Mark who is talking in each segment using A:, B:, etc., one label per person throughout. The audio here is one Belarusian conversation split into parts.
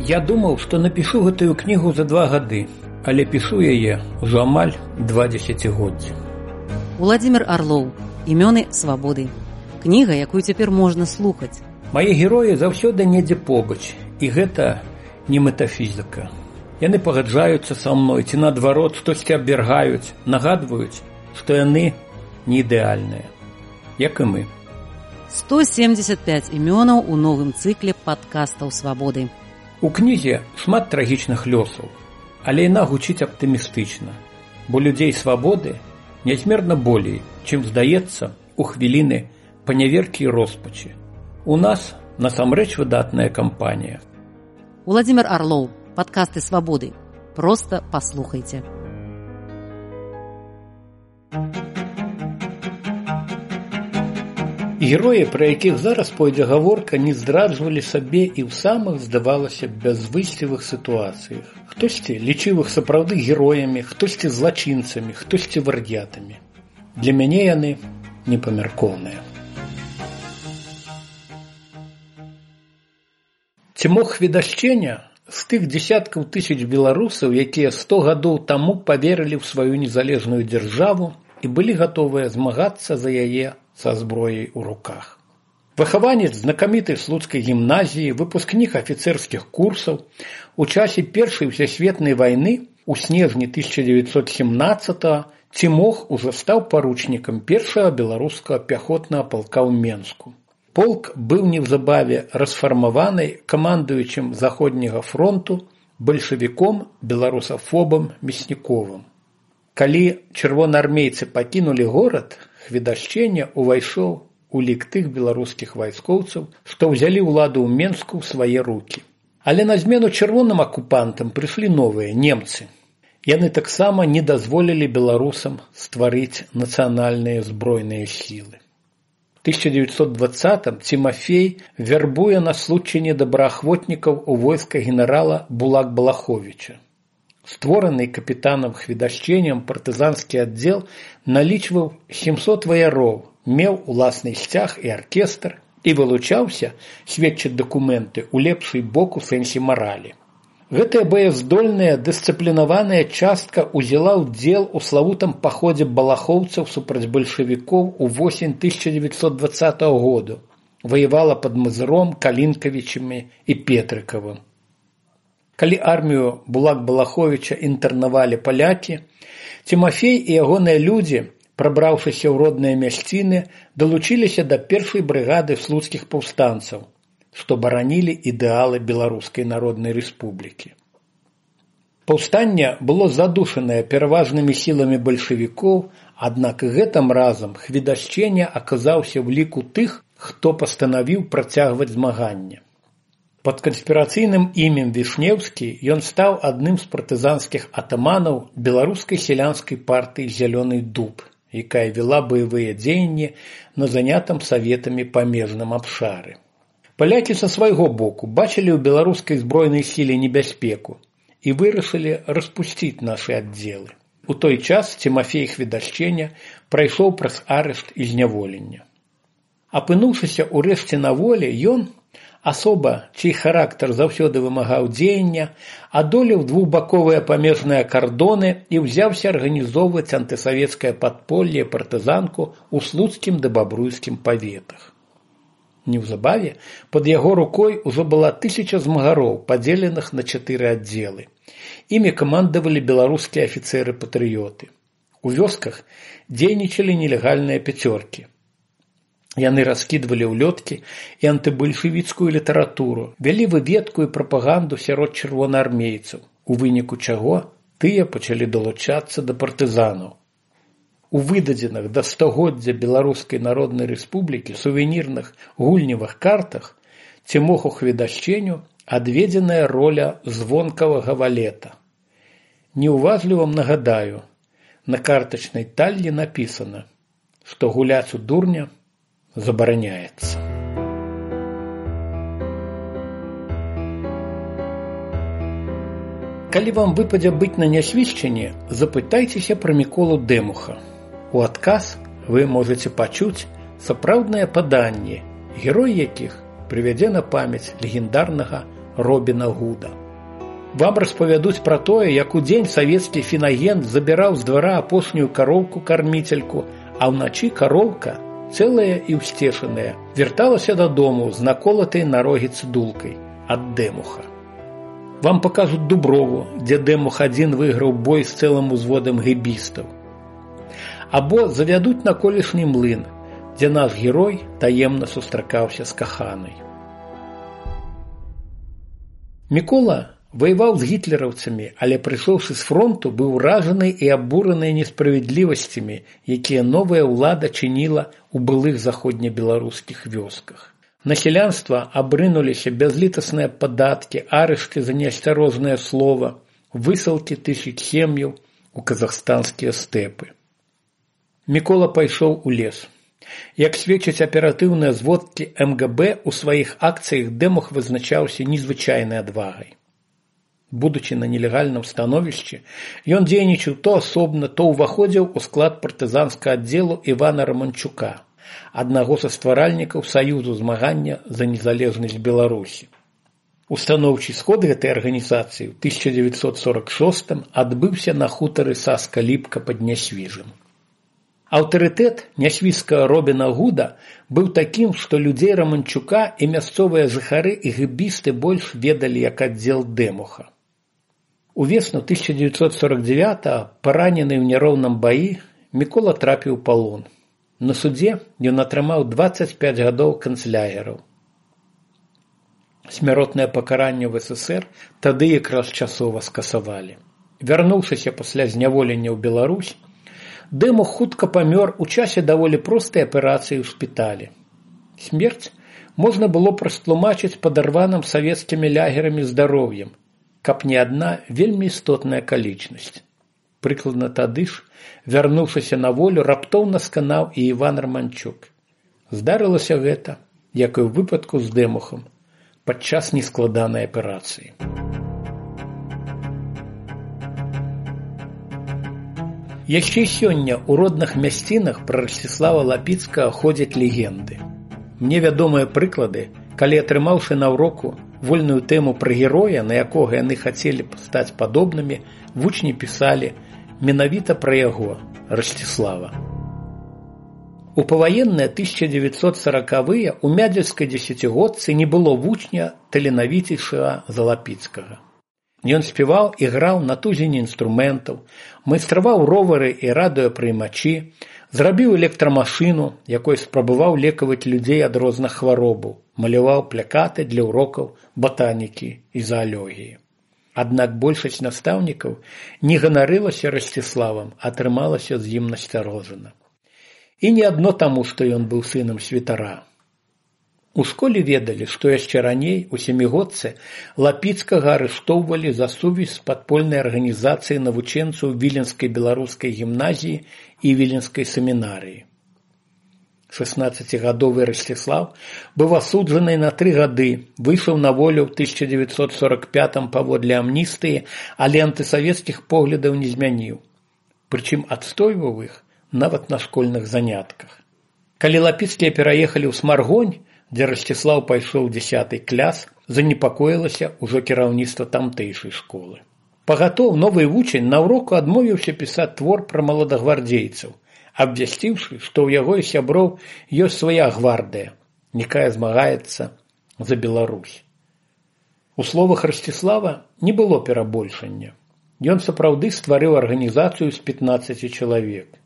A: Я думаў, што напішу гэтую кнігу за 2 гады, але пішу яе ўжо амаль 2 дзесяцігоддзі.
B: Уладзімір Арлоў. Імёны свабоды. Кніга, якую цяпер можна слухаць.
A: Мае героі заўсёды недзе побач, і гэта не метафізіка. Яны пагаджаюцца са мной, ці наадварот штосьці абвяргаюць, нагадваюць, што яны не ідэальныя, як і мы.
B: 175 імёнаў у новым цыкле падкастаў свабоды.
A: У кнізе шмат трагічных лёсаў, але яна гучыць аптымістычна, бо людзей свабоды нязмерна болей, чым здаецца у хвіліны паняверкі і роспачы. У нас насамрэч выдатная кампанія.
B: Уладзімір Арлоў. Падкасты свабоды. Проста паслухайце.
A: Героі, пра якіх зараз пойдзе гаворка, не здраджвалі сабе і ў самых, здавалася, бязвыйсцевых сітуацыях. Хтосьці лічыў іх сапраўды героямі, хтосьці злачынцамі, хтосьці вар'ятамі. Для мяне яны непамяркоўныя. Ці мог хведашчення з тых дзесяткаў тысяч беларусаў, якія 100 гадоў таму паверылі ў сваю незалежную дзяржаву і былі гатовыя змагацца за яе са зброяй у руках. Выхаванец знакамітай слуцкай гімназіі, выпускнік афіцэрскіх курсаў, у часе Першай сусветнай вайны у снежні 1917-го Цімох ужо стаў паручнікам першага беларускага пяхотнага палка ў Менску. Полк быў неўзабаве расфармаваны камандуючым Заходняга фронту бальшавіком беларусафобам Мясніковым. Калі чырвонаармейцы пакінулі горад, хведашчення ўвайшоў у лік тых беларускіх вайскоўцаў, што ўзялі ўладу ў Менску ў свае рукі. Але на змену чырвоным акупантам прыйшлі новыя немцы. Яны таксама не дазволілі беларусам стварыць нацыянальныя збройныя сілы. У 1920-м Цімафей вярбуе на случайне добраахвотнікаў у войска генерала Булак-Балаховіча. Створаны капітанам хведашченнем партызанскі аддзел налічваў 700 ваяроў, меў уласны сцяг і аркестр і вылучаўся, сведчаць дакументы, у лепшы бок у сэнсе маралі. Гэтая баяздольная, дысцыплінаваная частка ўзяла ўдзел у славутым паходзе балахоўцаў супраць бальшавікоў у восень 1920 году. Ваявала пад Мазыром, Калінкавічамі і Петрыкавым. Калі армію Булак-Балаховіча інтэрнавалі палякі, Цімафей і ягоныя людзі, прабраўшыся ў родныя мясціны, далучыліся да першай брыгады слуцкіх паўстанцаў, што баранілі ідэалы Беларускай Народнай Рэспублікі. Паўстанне было задушанае пераважнымі сіламі бальшавікоў, аднак гэтым разам хведашчення аказаўся ў ліку тых, хто пастанавіў працягваць змаганне. Пад канспірацыйным імем Вішнеўскі ён стаў адным з партызанскіх атаманаў беларускай сялянскай партыі «Зялёны дуб», якая вела баявыя дзеянні на занятым саветамі памежным абшары. Палякі са свайго боку бачылі ў беларускай збройнай сіле небяспеку і вырашылі распусціць нашы аддзелы. У той час Цімафей хведашчення прайшоў праз арышт і зняволенне. Апынуўшыся ўрэшце на волі, ён, асоба, чый характар заўсёды вымагаў дзеяння, адолеў двухбаковыя памежныя кардоны і ўзяўся арганізоўваць антысавецкае падполле партызанку ў слуцкім ды бабруйскім паветах. Неўзабаве пад яго рукой ужо была 1000 змагароў, падзеленых на 4 аддзелы. Імі камандавалі беларускія афіцэры-патрыёты. У вёсках дзейнічалі нелегальныя пяцёркі. Яны раскідвалі ўлёткі і антыбальшавіцкую літаратуру, вялі выведку і прапаганду сярод чырвонаармейцаў, у выніку чаго тыя пачалі далучацца да партызанаў. У выдадзеных да стагоддзя Беларускай Народнай Рэспублікі сувенірных гульневых картах Цімоху хведашченню адведзеная роля звонкавага валета. Неуважліва нагадаю, на картачнай таллі напісана, што гуляць у дурня забараняецца. Калі вам выпадзе быць на нясвідчанні, запытайцеся пра Міколу Дэмуха. У адказ вы можаце пачуць сапраўднае паданне, герой якіх прывядзе на памяць легендарнага Робіна Гуда. Вам распавядуць пра тое, як удзень савецкі фінагент забіраў з двара апошнюю кароўку-карміцельку, а ўначы кароўка, цэлая і ўсцешаная, вярталася дадому з наколатай на рогі цыдулкай ад Дэмуха. Вам пакажуць Дуброву, дзе Дэмух адзін выйграў бой з цэлым узводам гэбістаў. Або завядуць на колішні млын, дзе наш герой таемна сустракаўся з каханай. Мікола ваяваў з гітлераўцамі, але прыйшоўшы з фронту, быў уражаны і абураны несправядлівасцямі, якія новая ўлада чыніла ў былых заходнебеларускіх вёсках. На сялянства абрынуліся бязлітасныя падаткі, арышты за неасцярожнае слова, высылкі тысяч сем'яў у казахстанскія стэпы. Мікола пайшоў у лес. Як сведчаць аператыўныя зводкі МГБ, у сваіх акцыях Дэмух вызначаўся незвычайнай адвагай. Будучы на нелегальным становішчы, ён дзейнічаў то асобна, то ўваходзіў у склад партызанскага аддзелу Івана Раманчука, аднаго са стваральнікаў Саюзу змагання за незалежнасць Беларусі. Устаноўчы сход гэтай арганізацыі ў 1946 адбыўся на хутары Саска-Ліпка пад Нясвіжам. Аўтарытэт нясвіжскага Робіна Гуда быў такім, што людзей Раманчука і мясцовыя жыхары і гэбісты больш ведалі як аддзел Дэмуха. Увесну 1949-го, паранены ў няроўным баі, Мікола трапіў у палон. На судзе ён атрымаў 25 гадоў канцлягераў. Смяротнае пакаранне ў СССР тады якраз часова скасавалі. Вярнуўшыся пасля зняволення ў Беларусь, Дэмух хутка памёр у часе даволі простай аперацыі ў шпіталі. Смерць можна было растлумачыць падарваным савецкімі лягерамі здароўем, каб не адна вельмі істотная акалічнасць. Прыкладна тады ж, вярнуўшыся на волю, раптоўна сканаў і Іван Раманчук. Здарылася гэта, як і ў выпадку з Дэмухам, падчас нескладанай аперацыі. Яшчэ сёння ў родных мясцінах пра Расціслава Лапіцкага ходзяць легенды. Мне вядомыя прыклады, калі, атрымаўшы наўроку вольную тэму пра героя, на якога яны хацелі стаць падобнымі, вучні пісалі менавіта пра яго, Расціслава. У паваенныя 1940-е ў мядзельскай дзесяцігодцы не было вучня таленавіцейшага за Лапіцкага. Ён спяваў і граў на тузіне інструментаў, майстраваў ровары і радыёпрыймачы, зрабіў электрамашыну, якой спрабаваў лекаваць людзей ад розных хваробаў, маляваў плакаты для урокаў батанікі і заалогіі. Аднак большасць настаўнікаў не ганарылася Расціславам, а трымалася з ім насцярожана. І не адно таму, што ён быў сынам святара. У школе ведалі, што яшчэ раней, у сямігодцы, Лапіцкага арыштоўвалі за сувязь з падпольнай арганізацыяй навучэнцаў Віленскай беларускай гімназіі і Віленскай семінарыі. 16-гадовы Расціслав быў асуджаны на 3 гады, выйшаў на волю ў 1945 паводле амністыі, але антысавецкіх поглядаў не змяніў. Прычым адстойваў іх нават на школьных занятках. Калі Лапіцкія пераехалі ў Смаргонь, дзе Расціслаў пайшоў 10 клас, занепакоілася ўжо кіраўніцтва тамтэйшай школы. Пагатоў новы вучань наўроку адмовіўся пісаць твор пра маладагвардзейцаў, абвясціўшы, што ў яго і сяброў ёсць свая гвардыя, якая змагаецца за Беларусь. У словах Расціслава не было перабольшання. Ён сапраўды стварыў арганізацыю з 15 чалавек.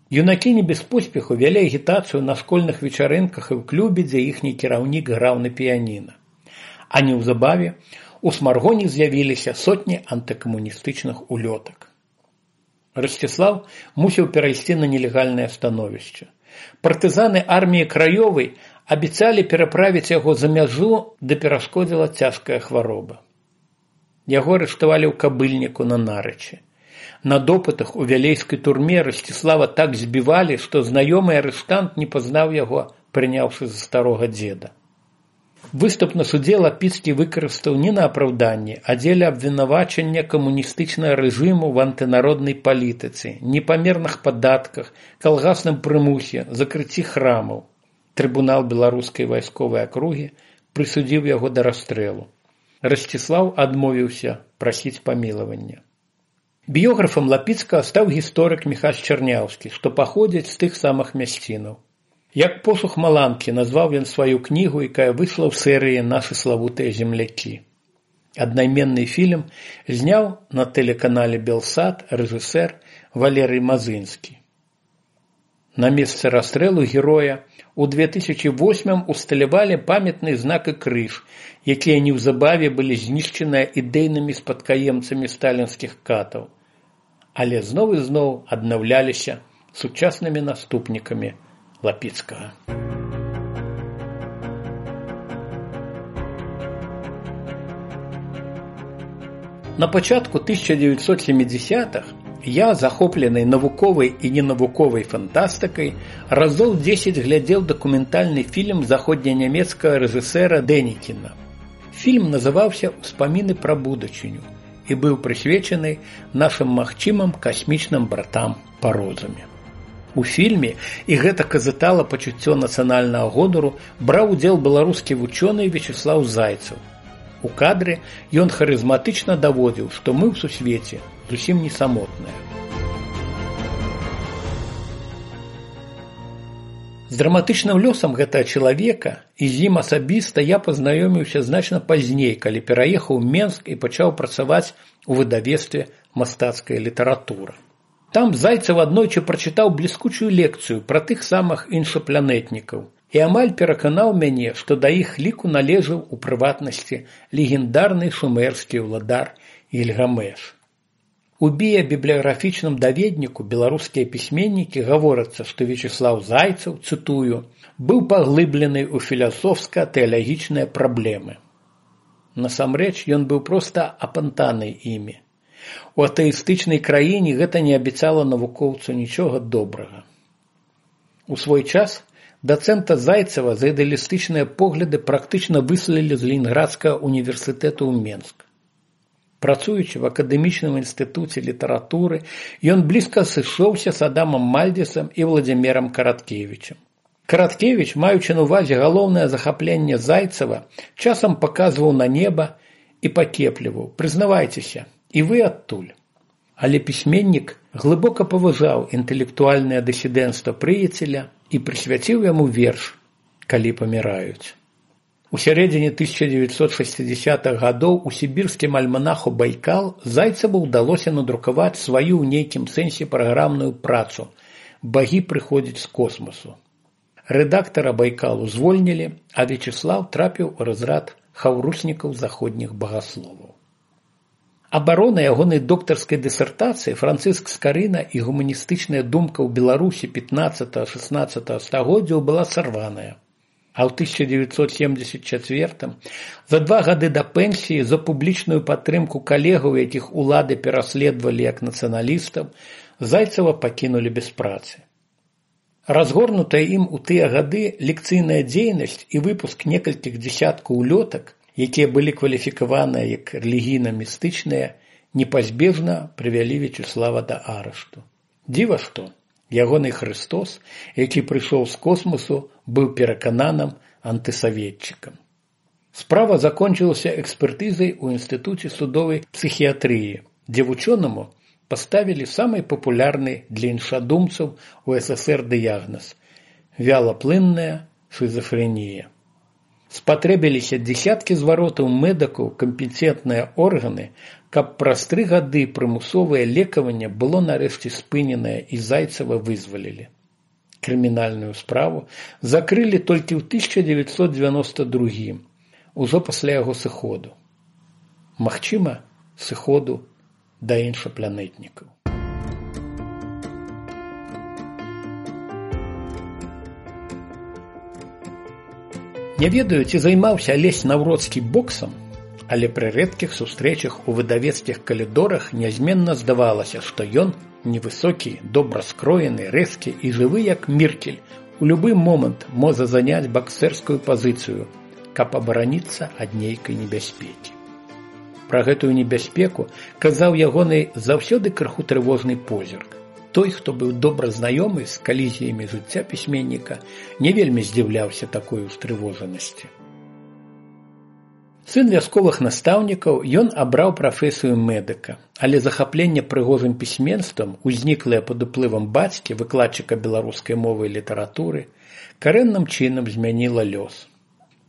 A: Юнакі не без поспеху вялі агітацыю на школьных вечарынках і ў клубе, дзе іхні кіраўнік граў на піяніна. А неўзабаве у Смаргоні з'явіліся сотні антыкамуністычных улётак. Расціслав мусіў перайсці на нелегальнае становішча. Партызаны арміі Краёвай абяцалі пераправіць яго за мяжу, да перашкодзіла цяжкая хвароба. Яго арыштавалі ў Кабыльніку на Нарычы. На допытах у вялейскай турме Расціслава так збівалі, што знаёмы арыштант не пазнаў яго, прыняўшы за старога дзеда. Выступ на судзе Лапіцкі выкарыстаў не на апраўданне, а дзеля абвінавачання камуністычнага рэжыму в антынароднай палітыцы, непамерных падатках, калгасным прымусе, закрыцці храмаў. Трыбунал беларускай вайсковай акругі прысудзіў яго да расстрэлу. Расціслаў адмовіўся прасіць памілавання. Біёграфам Лапіцкага стаў гісторык Міхась Чарняўскі, што паходзіць з тых самых мясцінаў. Як посух маланкі назваў ён сваю кнігу, якая выйшла ў серыі «Нашы славутыя землякі». Аднайменны фільм зняў на тэлеканале «Белсат» рэжысэр Валерый Мазынскі. На месцы расстрэлу героя у 2008 усталявалі памятны знак і крыж, якія неўзабаве былі знішчаныя ідэйнымі спадкаемцамі сталінскіх катаў, але зноў і зноў аднаўляліся сучаснымі наступнікамі Лапіцкага. На пачатку 1970-х я, захоплены навуковай і ненавуковай фантастыкай, разоў 10 глядзеў дакументальны фільм заходненямецкага рэжысэра Дэнікіна. Фільм называўся «Успаміны пра будучыню» і быў прысвечаны нашым магчымым касмічным братам па розуме. У фільме, і гэта казытала пачуццё нацыянальнага гонару, браў удзел беларускі вучоны Вячеслаў Зайцаў. У кадры ён харызматычна даводзіў, што мы ў сусвеце зусім не самотныя. З драматычным лёсам гэтага чалавека і з ім асабіста я пазнаёміўся значна пазней, калі пераехаў у Менск і пачаў працаваць у выдавецтве «Мастацкая літаратура». Там Зайцаў аднойчы прачытаў бліскучую лекцыю пра тых самых іншапланетнікаў і амаль пераканаў мяне, што да іх ліку належаў у прыватнасці легендарны шумерскі ўладар Ільгамеш. У біябібліяграфічным даведніку беларускія пісьменнікі гаворыцца, што Вячеслаў Зайцаў, цытую, быў паглыблены ў філасофска-тэалагічныя праблемы. Насамрэч, ён быў проста апантаны імі. У атэістычнай краіне гэта не абяцала навукоўцу нічога добрага. У свой час дацэнта Зайцава за ідэалістычныя погляды практычна выслалі з Ленінградскага універсітэту ў Менск. Працуючы в акадэмічным інстытуце літаратуры, ён блізка сышоўся з Адамам Мальдзесам і Владзімірам Караткевічам. Караткевіч, маючы на ўвазе галоўнае захапленне Зайцава, часам паказваў на неба і пакепліваў: «Прызнавайцеся, і вы адтуль». Але пісьменнік глыбока паважаў інтэлектуальнае дысідэнцтва прыяцеля і прысвяціў яму верш «Калі паміраюць». У сярэдзіне 1960-х гадоў у сібірскім альманаху «Байкал» Зайцаву ўдалося надрукаваць сваю ў нейкім сэнсе праграмную працу «Багі прыходзяць з космасу». Рэдактара «Байкалу» звольнілі, а Вячеслаў трапіў у разрад хаўруснікаў заходніх багасловаў. Абарона ягонай доктарскай дысертацыі «Францыск Скарына і гуманістычная думка ў Беларусі 15-16 стагоддзяў» была сарваная. А ў 1974 за 2 гады да пенсіі за публічную падтрымку калегаў, якіх улады пераследавалі як нацыяналістаў, Зайцава пакінулі без працы. Разгорнутая ім у тыя гады лекцыйная дзейнасць і выпуск некалькіх дзесяткаў улётак, якія былі кваліфікаваныя як рэлігійна-містычныя, непазбежна прывялі Вячеслава да арышту. Дзіва што, ягоны Хрыстос, які прыйшоў з космосу, быў перакананым антысаветчыкам. Справа закончылася экспертызай у Інстытуце судовай псіхіятрыі, дзе вучонаму паставілі самы папулярны для іншадумцаў у СССР дыягназ – вялаплынная шызафрэнія. Спатрэбіліся дзесяткі зваротаў медыкаў, кампетэнтныя органы, каб праз 3 гады прымусовае лекаванне было нарэшце спыненае і Зайцава вызвалілі. Крымінальную справу закрылі толькі ў 1992, ужо пасля яго сыходу. Магчыма, сыходу да іншапланетнікаў. Не ведаю, ці займаўся Алесь Наўроцкі боксам, але пры рэдкіх сустрэчах у выдавецкіх калідорах нязменна здавалася, што ён невысокі, добра скроены, рэзкі і жывы як міркель, у любы момант можа заняць баксерскую пазіцыю, каб абараніцца ад нейкай небяспекі. Пра гэтую небяспеку казаў ягоны заўсёды крыху трывожны позірк. Той, хто быў добра знаёмы з калізіямі жыцця пісьменніка, не вельмі здзіўляўся такой устрывожанасці. Сын вясковых настаўнікаў, ён абраў прафесію медыка, але захапленне прыгожым пісьменствам, узніклае пад уплывам бацькі, выкладчыка беларускай мовы і літаратуры, карэнным чынам змяніла лёс.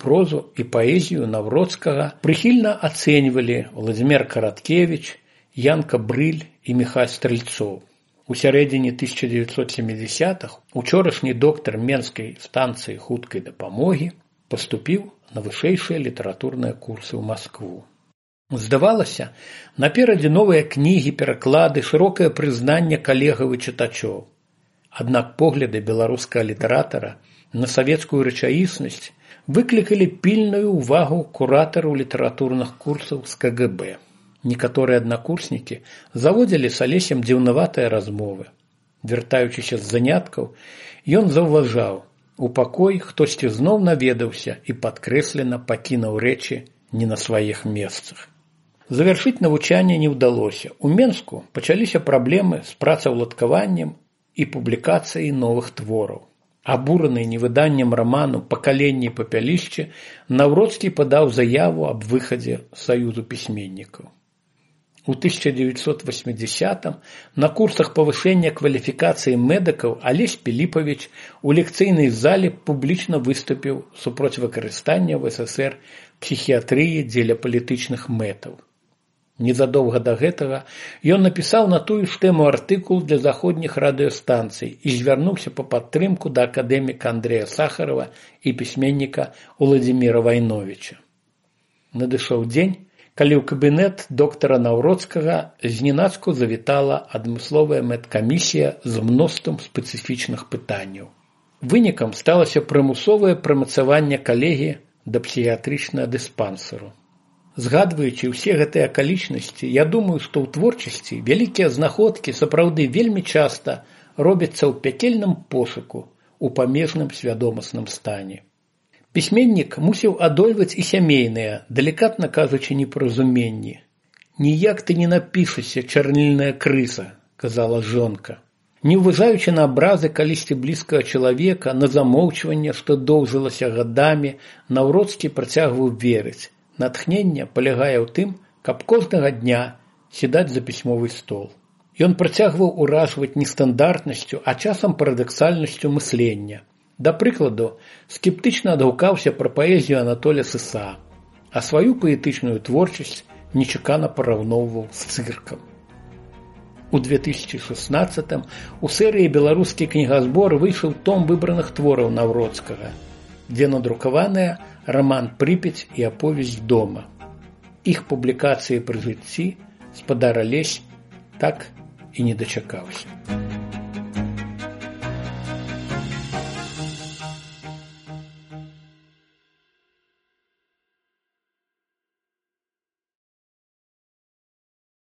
A: Прозу і паэзію Навроцкага прыхільна ацэньвалі Владзімір Караткевіч, Янка Брыль і Міхай Стрэльцоў. У сярэдзіне 1970-х учорашні доктар Менскай станцыі хуткай дапамогі паступіў на вышэйшыя літаратурныя курсы ў Маскву. Здавалася, наперадзе новыя кнігі, пераклады, шырокае прызнанне калегаў і чытачоў. Аднак погляды беларускага літаратара на савецкую рэчаіснасць выклікалі пільную ўвагу куратараў літаратурных курсаў з КГБ. Некаторыя аднакурснікі заводзілі з Алесем дзіўнаватыя размовы. Вяртаючыся з заняткаў, ён заўважаў, у пакой хтосьці зноў наведаўся і падкрэслена пакінуў рэчы не на сваіх месцах. Завяршыць навучанне не ўдалося. У Менску пачаліся праблемы з працаўладкаваннем і публікацыяй новых твораў. Абураны невыданнем раману «Пакаленне і папялішчы», Навроцкі падаў заяву аб выхадзе Саюзу пісьменнікаў. У 1980-м на курсах павышэння кваліфікацыі медыкаў Алесь Піліпавіч у лекцыйнай зале публічна выступіў супроць выкарыстання ў СССР псіхіятрыі дзеля палітычных мэтаў. Незадоўга да гэтага ён напісаў на тую ж тэму артыкул для заходніх радыёстанцый і звярнуўся па падтрымку да акадэміка Андрэя Сахарова і пісьменніка Уладзіміра Вайновіча. Надышоў дзень, калі ў кабінет доктара Навроцкага зненацку завітала адмысловая медкамісія з мноствам спецыфічных пытанняў. Вынікам сталася прымусовае прымацаванне калегі да псіхіятрычнага дыспансеру. Згадваючы ўсе гэтыя акалічнасці, я думаю, што ў творчасці вялікія знаходкі сапраўды вельмі часта робяцца ў пякельным пошуку, у памежным свядомасным стане. Пісьменнік мусіў адольваць і сямейныя, далікатна кажучы, непаразуменні. «Ніяк ты не напішашся, чарнільная крыса», – казала жонка. Не ўважаючы на абразы калісьці блізкага чалавека, на замоўчванне, што доўжылася гадамі, Навроцкі працягваў верыць. Натхненне палягае ў тым, каб кожнага дня сідаць за пісьмовы стол. Ён працягваў уражваць нестандартнасцю, а часам парадаксальнасцю мыслення. Да прыкладу, скептычна адгукаўся пра паэзію Анатоля Сыса, а сваю паэтычную творчасць нечакана параўноўваў з цыркам. У 2016-м у серыі «Беларускі кнігазбор» выйшаў том выбраных твораў Навроцкага, дзе надрукаваныя раман «Прыпяць» і аповесць дома. Іх публікацыі пры жыцці спадар Алесь так і не дачакаўся.